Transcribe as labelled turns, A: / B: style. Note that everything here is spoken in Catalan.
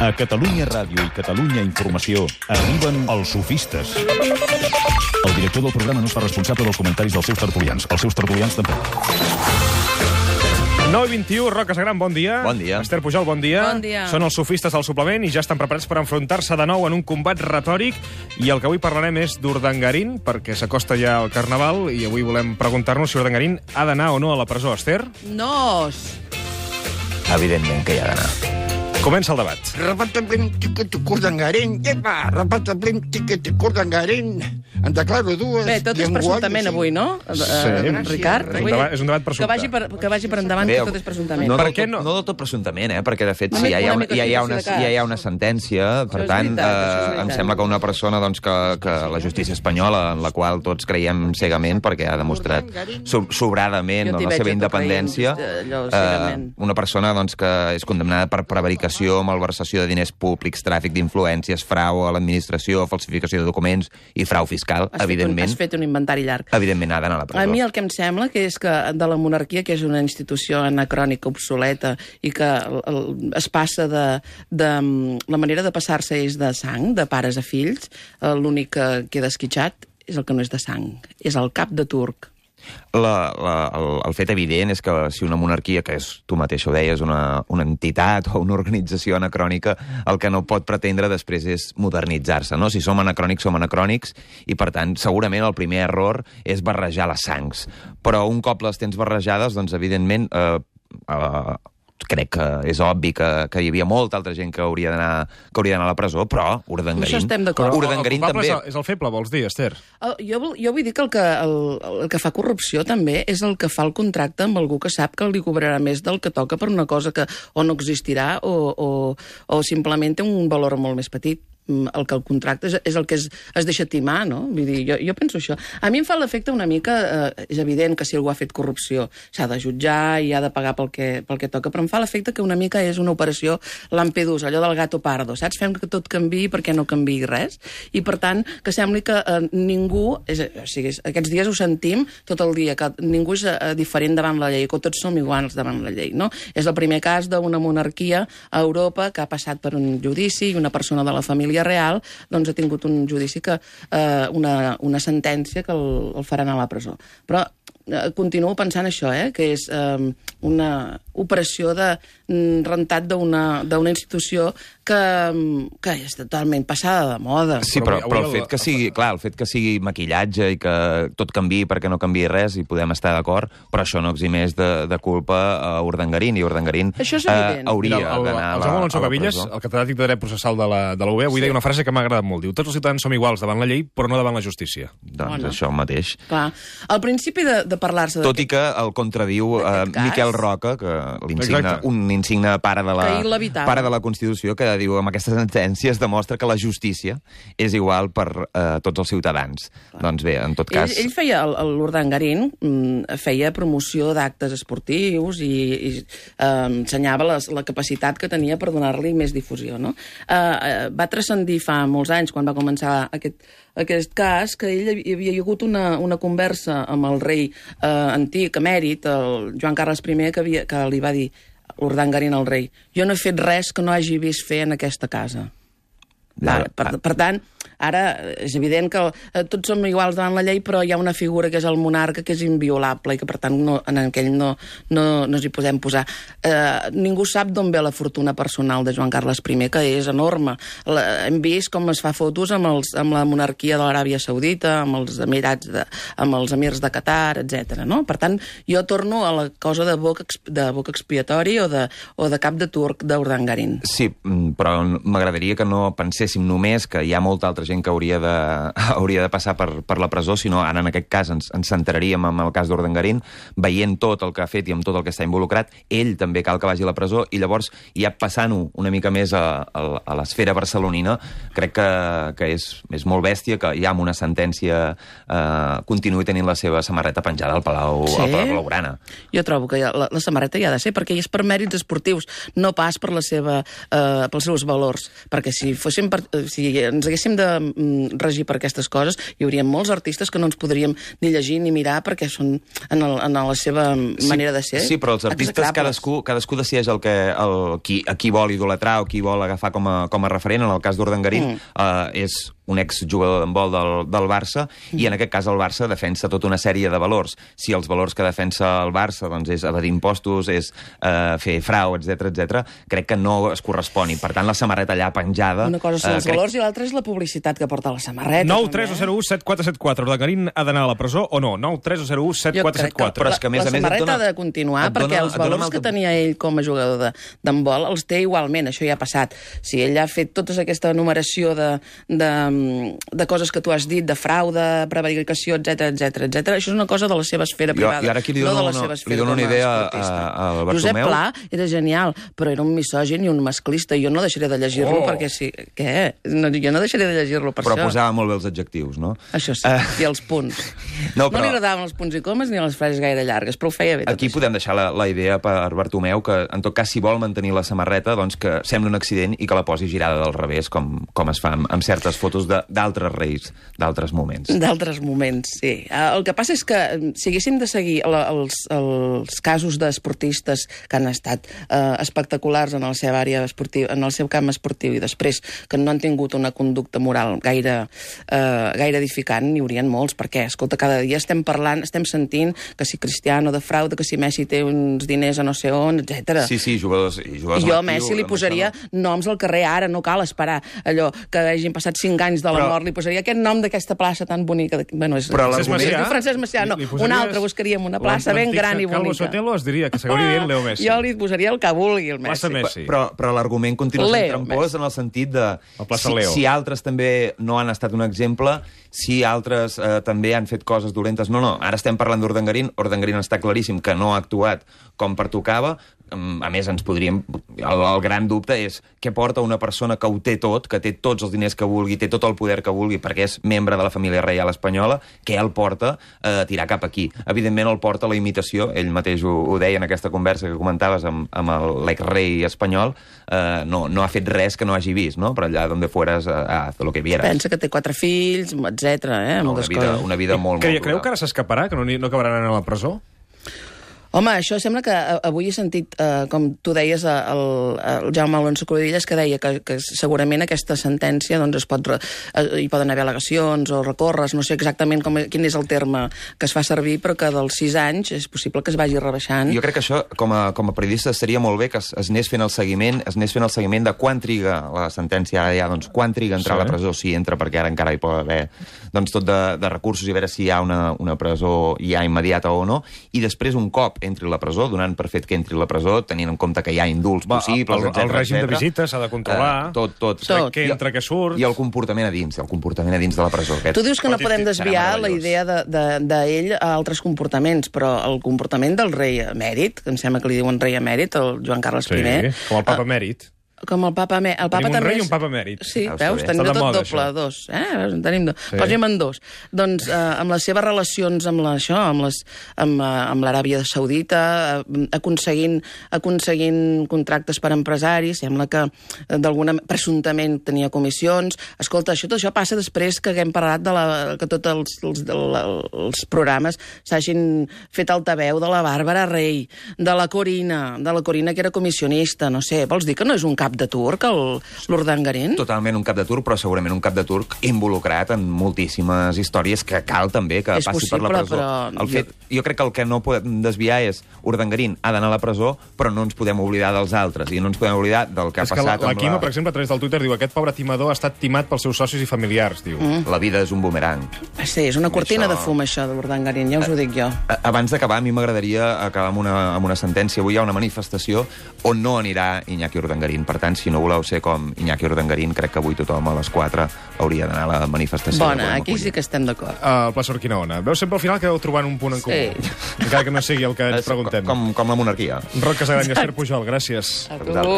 A: A Catalunya Ràdio i Catalunya Informació arriben els sofistes. El director del programa no es fa responsable dels comentaris dels seus tertulians. Els seus tertulians tampoc.
B: 9:21, Roca Sagran, bon dia.
C: Bon dia.
B: Esther Pujol, bon dia.
D: Bon dia.
B: Són els sofistes del suplement i ja estan preparats per enfrontar-se de nou en un combat retòric. I el que avui parlarem és d'Urdangarín, perquè s'acosta ja el Carnaval, i avui volem preguntar-nos si Urdangarín ha d'anar o no a la presó, Esther.
D: No.
C: Evidentment que hi ha d'anar.
B: Comença el debat.
E: Repatablim, tiquet, Urdangarín. Epa, repatablim, tiquet, Urdangarín. En declaro dues.
D: Bé, tot és presumptament avui, no? Ricard?
B: És un debat presumpte.
D: Que vagi per endavant, que tot és presumptament.
C: No,
B: Per què no?
C: No del tot presumptament, perquè de fet
D: Només
C: ja hi ha
D: una mica
C: ja hi ha una sentència, per
D: és
C: tant,
D: veritat, això és veritat.
C: em sembla que una persona doncs, que la justícia espanyola, en la qual tots creiem cegament, perquè ha demostrat sobradament
D: Jo t'hi
C: la
D: veig
C: seva
D: a tu
C: independència,
D: creient, allò, cegament.
C: una persona doncs, que és condemnada per prevaricació, malversació de diners públics, tràfic d'influències, frau a l'administració, falsificació de documents i frau fiscal, evidentment.
D: Has fet un inventari llarg.
C: Evidentment ha d'anar a la presó.
D: A mi el que em sembla que és que de la monarquia, que és una institució anacrònica, obsoleta, i que es passa de la manera de passar-se és de sang, de pares a fills, l'únic que queda esquitxat és el que no és de sang, és el cap de turc.
C: El fet evident és que si una monarquia, que és, tu mateix ho deies, una entitat o una organització anacrònica, el que no pot pretendre després és modernitzar-se, no? Si som anacrònics, i per tant, segurament el primer error és barrejar les sangs. Però un cop les tens barrejades, doncs, evidentment, crec que és obvi que hi havia molta altra gent que hauria d'anar a la presó, però Urdangarín...
D: Això estem d'acord.
C: Urdangarín
B: el
C: també...
B: És el feble, vols dir, Esther?
D: Jo vull dir que el que fa corrupció també és el que fa el contracte amb algú que sap que li cobrarà més del que toca per una cosa que o no existirà o simplement té un valor molt més petit. El que el contracte és el que es deixa timar, no? Vull dir, jo penso això. A mi em fa l'efecte una mica... és evident que si algú ha fet corrupció s'ha de jutjar i ha de pagar pel que toca, però em fa l'efecte que una mica és una operació Lampedusa, allò del gato pardo, saps? Fem que tot canviï perquè no canviï res. I, per tant, que sembli que ningú... O sigui, aquests dies ho sentim tot el dia, que ningú és diferent davant la llei, que tots som iguals davant la llei, no? És el primer cas d'una monarquia a Europa que ha passat per un judici i una persona de la família real doncs ha tingut un judici una sentència que el faran a la presó. Però continuo pensant això, que és una operació de rentat d'una institució que és totalment passada de moda.
C: Sí, però el fet que sigui, clar, el fet que sigui maquillatge i que tot canviï perquè no canviï res, i podem estar d'acord, però això no eximeix de culpa a Urdangarín, i Urdangarín hauria d'anar a la presó.
B: El Jaume Alonso Gavillas, el catedràtic de dret processal de la UB, avui deia una frase que m'ha agradat molt. Diu, tots els ciutadans som iguals davant la llei, però no davant la justícia.
C: Doncs això mateix.
D: Clar, al principi de parlar-se...
C: Tot i que el contradiu Miquel Roca, que un insigne pare de la Constitució, que diu amb aquesta sentència es demostra que la justícia és igual per tots els ciutadans. Doncs bé, en tot cas...
D: Ell feia, l'Urdangarín, feia promoció d'actes esportius i ensenyava la capacitat que tenia per donar-li més difusió, no? Va transcendir fa molts anys, quan va començar aquest cas, que ell hi havia hagut una conversa amb el rei antic, emèrit, el Joan Carles I, que li va dir Urdangarín al rei: jo no he fet res que no hagi vist fer en aquesta casa. Per tant, ara és evident que tots som iguals davant la llei, però hi ha una figura que és el monarca, que és inviolable i que, per tant, en aquell no ens hi podem posar. Ningú sap d'on ve la fortuna personal de Joan Carles I, que és enorme. Hem vist com es fa fotos amb la monarquia de l'Aràbia Saudita, amb els emirats, amb els emirs de Qatar, etc. No? Per tant, jo torno a la cosa de boc expiatori o de cap de turc d'Urdangarín.
C: Sí, però m'agradaria que no penséssim només que hi ha molta altra gent que hauria de passar per la presó, sinó ara en aquest cas ens centraríem en el cas d'Urdangarín, veient tot el que ha fet i amb tot el que està involucrat. Ell també cal que vagi a la presó, i llavors, ja passant-ho una mica més a l'esfera barcelonina, crec que és molt bèstia que ja amb una sentència continuï tenint la seva samarreta penjada al Palau Blaugrana.
D: Jo trobo que la samarreta hi ha de ser, perquè és per mèrits esportius, no pas pels seus valors. Perquè si ens haguéssim de regir per aquestes coses, hi hauria molts artistes que no ens podríem ni llegir ni mirar perquè són en la seva manera de ser.
C: Sí, però els artistes cadascú decideix a qui vol idolatrar o qui vol agafar com a referent. En el cas d'Urdangarín és un exjugador d'handbol del Barça, i en aquest cas el Barça defensa tota una sèrie de valors. Si els valors que defensa el Barça doncs, és evadir impostos, és fer frau, etc, crec que no es correspon. I, per tant, la samarreta allà penjada...
D: Una cosa són els valors i l'altra és la publicitat que porta la samarreta.
B: 9-3-0-1-7-4-7-4. Urdangarín ha d'anar a la presó o no? 9-3-0-1-7-4-7-4.
D: Però és que, la samarreta ha de continuar perquè els valors que tenia ell com a jugador d'handbol els té igualment. Això ja ha passat. Si ell ha fet tota aquesta enumeració de coses que tu has dit, de frau, de prevaricació, etc, això és una cosa de la seva esfera privada,
C: no de la seva esfera com a esportista.
D: Josep Pla era genial, però era un misògin i un masclista, i jo no deixaré de llegir-lo perquè sí. Què? Jo no deixaré de llegir-lo per
C: això.
D: Però
C: posava molt bé els adjectius, no?
D: Això sí, i els punts. No li agradaven els punts i comes ni les frases gaire llargues, però ho feia bé.
C: Aquí podem deixar la idea per Bartomeu, que en tot cas, si vol mantenir la samarreta, doncs que sembli un accident i que la posi girada del revés, com es fa amb certes fotos d'altres reis, d'altres moments.
D: D'altres moments, sí. El que passa és que si haguéssim de seguir els casos d'esportistes que han estat espectaculars en la seva àrea esportiva, en el seu camp esportiu, i després que no han tingut una conducta moral gaire edificant, n'hi haurien molts, perquè, escolta, cada dia estem parlant, estem sentint que si Cristiano defrauda, que si Messi té uns diners a no sé on, etc.
C: Sí, jugadors
D: I jo a Messi li posaria noms al carrer ara, no cal esperar allò que hagin passat 5 anys de la mort, li posaria aquest nom d'aquesta plaça tan bonica. Bueno, és Francesc Macià, no, una altra, buscaríem una plaça ben gran i bonica.
B: Calvo Sotelo es diria que s'hauria dient Leo Messi.
D: Jo li posaria el que vulgui, el Messi.
B: Plaça Messi.
C: Però l'argument continua sent trampós en el sentit de si altres també no han estat un exemple, si altres també han fet coses dolentes. No, ara estem parlant d'Urdangarín. Urdangarín està claríssim que no ha actuat com pertocava. A més, ens podríem... El gran dubte és què porta una persona que ho té tot, que té tots els diners que vulgui, té tot el poder que vulgui, perquè és membre de la família reial espanyola, què el porta a tirar cap aquí. Evidentment el porta la imitació, ell mateix ho deia en aquesta conversa que comentaves amb l'exrei espanyol, no ha fet res que no hagi vist, no? Per allà donde fueras haz lo que vieras.
D: Pensa que té 4 fills, etc.
C: Una vida molt
B: Creu que ara s'escaparà, que no acabarà anant a la presó?
D: Home, això sembla que avui he sentit, com tu deies, el Jaume Alonso Cruïlles, que deia que segurament aquesta sentència doncs, hi poden haver al·legacions o recorres, no sé exactament quin és el terme que es fa servir, però que dels 6 anys és possible que es vagi rebaixant.
C: Jo crec que això, com a periodista, seria molt bé que es anés fent el seguiment, de quan triga la sentència, doncs quan triga entrar a la presó, si entra, perquè ara encara hi pot haver doncs, tot de recursos, i a veure si hi ha una presó ja immediata o no, i després un cop entri a la presó, donant per fet que entri a la presó, tenint en compte que hi ha indults possibles, etc.
B: El règim de visites s'ha de controlar.
C: Tot.
B: Què entra, què surt.
C: I el comportament a dins de la presó.
D: Tu dius que no podem desviar la idea d'ell a altres comportaments, però el comportament del rei emèrit, que em sembla que li diuen rei emèrit, el Joan Carles I...
B: Sí, com el papa emèrit.
D: Com el papa emèrit.
B: Tenim un rei i un papa emèrit.
D: Sí, veus? Tenim tot doble, dos. Tenim dos. Posem-en dos. Doncs amb les seves relacions amb l'Aràbia Saudita, aconseguint contractes per empresaris, sembla que presumptament tenia comissions. Escolta, tot això passa després que haguem parlat que tots els programes s'hagin fet altaveu de la Bàrbara Rey, de la Corina, que era comissionista, no sé. Vols dir que no és un cap de turc, l'Urdangarín?
C: Totalment un cap de turc, però segurament un cap de turc involucrat en moltíssimes històries que cal també que passi per la presó. Jo crec que el que no podem desviar és Urdangarín ha d'anar a la presó, però no ens podem oblidar dels altres, i no ens podem oblidar del que ha passat amb
B: la Quima, per exemple, a través del Twitter, diu aquest pobre timador ha estat timat pels seus socis i familiars, diu.
C: La vida és un bumerang.
D: Sí, és una cortina de fum, això, de l'Urdangarín, ja us ho dic jo.
C: Abans d'acabar, a mi m'agradaria acabar amb una sentència. Avui hi ha una manifestació on no anirà Iñaki Urdangarín. Per tant, si no voleu ser com Iñaki Urdangarín, crec que avui tothom a les 4 hauria d'anar a la manifestació.
D: Bona, aquí sí que estem d'acord.
B: El Pla Urquinaona. Veus sempre al final que heu trobant un punt en comú. Encara que no sigui el que ens preguntem.
C: Com la monarquia.
B: Roc Casagran i Esther Pujol, gràcies.
D: A tu.